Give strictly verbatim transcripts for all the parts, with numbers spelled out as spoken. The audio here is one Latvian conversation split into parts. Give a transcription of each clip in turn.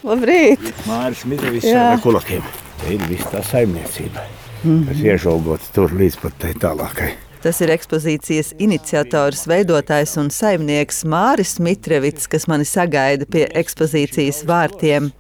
Labrīt! Māris Mitrovics ar kulakiem. Te ir viss tā saimniecība, mm-hmm. kas iežaugots tur līdz pat tai tālākai. Tas ir ekspozīcijas iniciators, veidotājs un saimnieks Māris Mitrovics, kas mani sagaida pie ekspozīcijas vārtiem.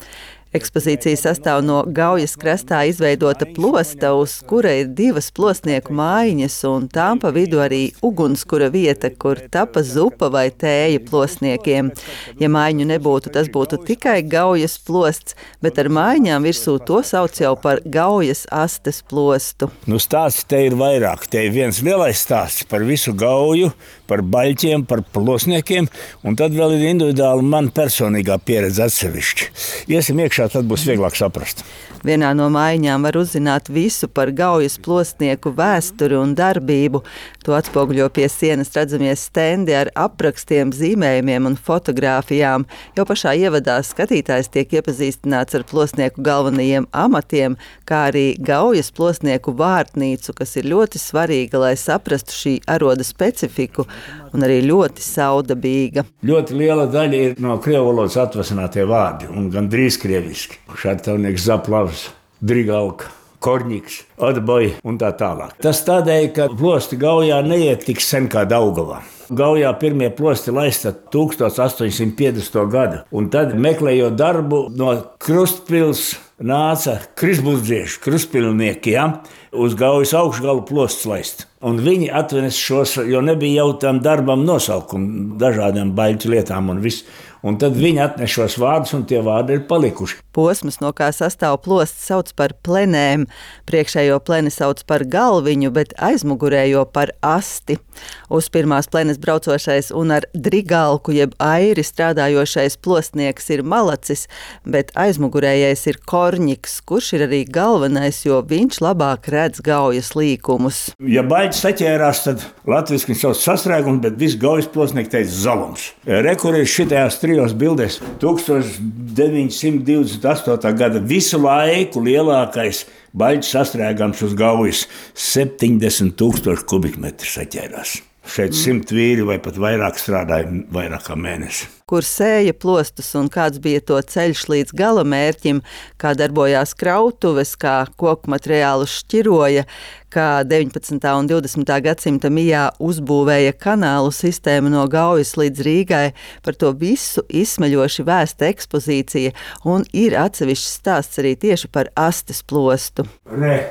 Ekspozīcija sastāv no Gaujas krastā izveidota plosta, uz kura ir divas plosnieku mājiņas un tām pa vidu arī ugunskura vieta, kur tapa zupa vai tēja plosniekiem. Ja mājiņu nebūtu, tas būtu tikai Gaujas plosts, bet ar mājiņām virsū to sauc jau par Gaujas astes plostu. Nu, stāsts te ir vairāk. Te ir viens lielais stāsts par visu Gauju, par baļķiem, par plosniekiem, un tad vēl ir individuāli man personīgā pieredze atsevišķi. Iesim iekšā, tad būs vieglāk saprast. Vienā no mājiņām var uzzināt visu par Gaujas plosnieku vēsturi un darbību. To atspoguļo pie sienas redzamie stendi ar aprakstiem, zīmējumiem un fotogrāfijām. Jau pašā ievadā skatītājs tiek iepazīstināts ar plosnieku galvenajiem amatiem, kā arī Gaujas plosnieku vārtnīcu, kas ir ļoti svarīga, lai saprastu šī aroda specifiku un arī ļoti saudabīga. Ļoti liela daļa ir no krievu valodas atvasinātie vārdi un gandrīz krieviski. Šartavnieks, Zaplavs, Drigalka, Korņiks, Atboja un tā tālāk. Tas tādēļ, ka plosti Gaujā neiet tik sen kā Daugavā. Gaujā pirmie plosti laista tūkstoš astoņi simti piecdesmito gadu, un tad meklējot darbu no Krustpils nāca krisburdzieši, krustpilnieki, ja, uz Gaujas augšgalu plosts laist. Un viņi atvenes šos, jo nebija jau tam darbam nosaukumu, dažādām baļķu lietām un viss. Un tad viņi atnes šos vārdus, un tie vārdi ir palikuši. Posms, no kā sastāv plosts, sauc par plenēm. Priekšējo pleni sauc par galviņu, bet aizmugurējo par asti. Uz pirmās plenes braucošais un ar drigalku jeb airi strādājošais plostnieks ir malacis, bet aizmugurējais ir Korņiks, kurš ir arī galvenais, jo viņš labāk redz Gaujas līkumus. Ja baļķis saķērās, tad latviski viņš sauc sasrēgumu, bet viss Gaujas plostnieki teica zalums. Rekur ir šitajās trijos bildēs tūkstoš deviņi simti divdesmit astotā gada visu laiku lielākais baļķis sastrēgams uz Gaujas septiņdesmit tūkstoši kubikmetri saķērās. Šeit simt vīri vai pat vairāk strādāja vairāk kā mēnesi. Kur sēja plostus un kāds bija to ceļš līdz gala mērķim, kā darbojās krautuves, kā koku materiālus šķiroja, kā deviņpadsmitā un divdesmitā gadsimta mijā uzbūvēja kanālu sistēmu no Gaujas līdz Rīgai. Par to visu izsmeļoši vēsta ekspozīcija, un ir atsevišķs stāsts arī tieši par astes plostu. Re,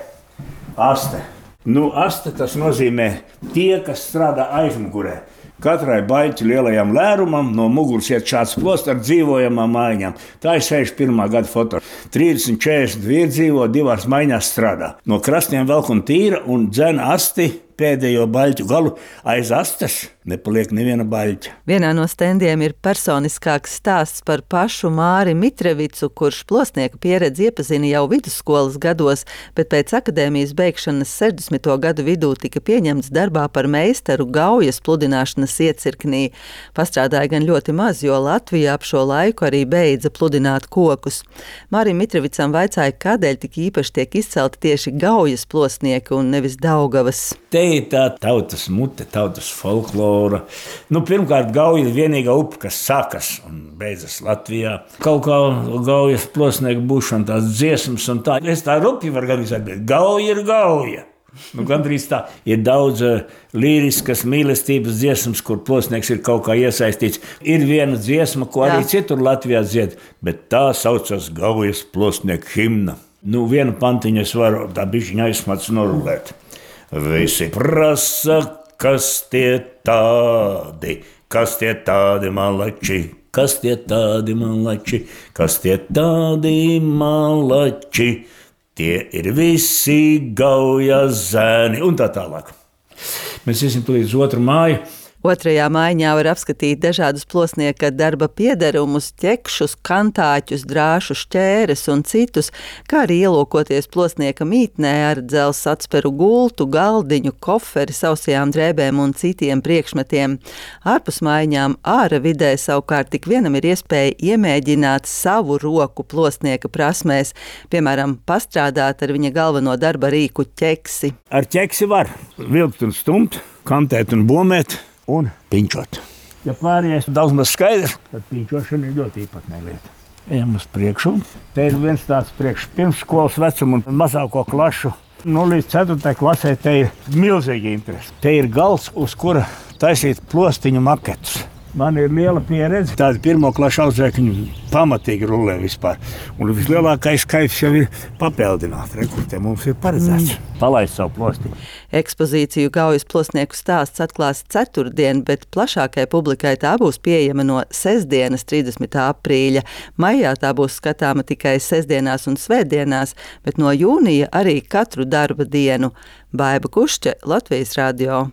aste. Nu, aste tas nozīmē tie, kas strādā aizmugurē. Katrai baļķu lielajam lērumam no muguras iet šāds plosts ar dzīvojamām mājiņām. Tā ir sešdesmit pirmā gada foto. trīsdesmit četrdesmit vīri dzīvo, divās maiņās strādā. No krastiem velk un tīra un dzen asti pēdējo baļķu galu aiz astes. Nepaliek neviena baļķa. Vienā no stendiem ir personiskāks stāsts par pašu Māri Mitrovicu, kurš plostnieku pieredzi iepazina jau vidusskolas gados, bet pēc akadēmijas beigšanas sešdesmito gadu vidū tika pieņemts darbā par meistaru Gaujas pludināšanas iecirknī. Pastrādāja gan ļoti maz, jo Latvijā ap šo laiku arī beidza pludināt kokus. Mārim Mitrovicam vaicāja, kādēļ tik īpaši tiek izcelti tieši Gaujas plostnieki un nevis Daugavas. Te ir tā tautas mute, tautas folklora. Nu, pirmkārt, Gauja ir vienīgā upe, kas sākas un beidzas Latvijā. Kaut kā Gaujas plosnieku būšana tās dziesmas un tā. Es tā rupi var gan izsēt, bet Gauja ir Gauja. Nu, gandrīz tā. Ir daudz uh, līriskas mīlestības dziesmas, kur plosnieks ir kaut kā iesaistīts. Ir viena dziesma, ko arī Jā. citur Latvijā dzied, bet tā saucas Gaujas plosnieku himna. Nu, vienu pantiņu es varu tā bišķiņa aizsmats norulēt. Visi prasa, kas tie tādi, kas tie tādi malači, kas tie tādi malači, kas tie tādi malači, tie ir visi Gaujas zēni un tā tālāk. Mēs iesim līdz otru māju. Otrajā mājiņā var apskatīt dažādus plosnieka darba piederumus, ķekšus, kantāķus, drāšu šķēres un citus, kā arī ielūkoties plosnieka mītnē ar dzelzs atsperu gultu, galdiņu, koferi, sausajām drēbēm un citiem priekšmetiem. Ārpus mājiņām āra vidē savukārt tik vienam ir iespēja iemēģināt savu roku plosnieka prasmēs, piemēram, pastrādāt ar viņa galveno darba rīku ķeksi. Ar ķeksi var vilkt un stumt, kantēt un bomēt un piņķot. Ja pārējais daudz maz skaidrs, tad piņķošana ir ļoti īpatnē lieta. Ejam uz priekšu. Te ir viens tāds priekš pirmsskolas vecuma un mazāko klašu. Nu, līdz ceturtajai klasē te ir milzīgi interesi. Te ir gals, uz kura taisīt plostiņu maketus. Man ir liela pieredze. Tādi pirmo klašu audzēkņi pamatīgi rulē vispār. Un vislielākais kaifs jau ir papildināt. Rekur, te mums ir paredzēts. Mm. Palaist savu plostiņu. Ekspozīciju Gaujas plosnieku stāsts atklās ceturtdien, bet plašākai publikai tā būs pieejama no sestdienas, trīsdesmitā aprīļa. Maijā tā būs skatāma tikai sestdienās un svētdienās, bet no jūnija arī katru darba dienu. Baiba Kušķe, Latvijas radio.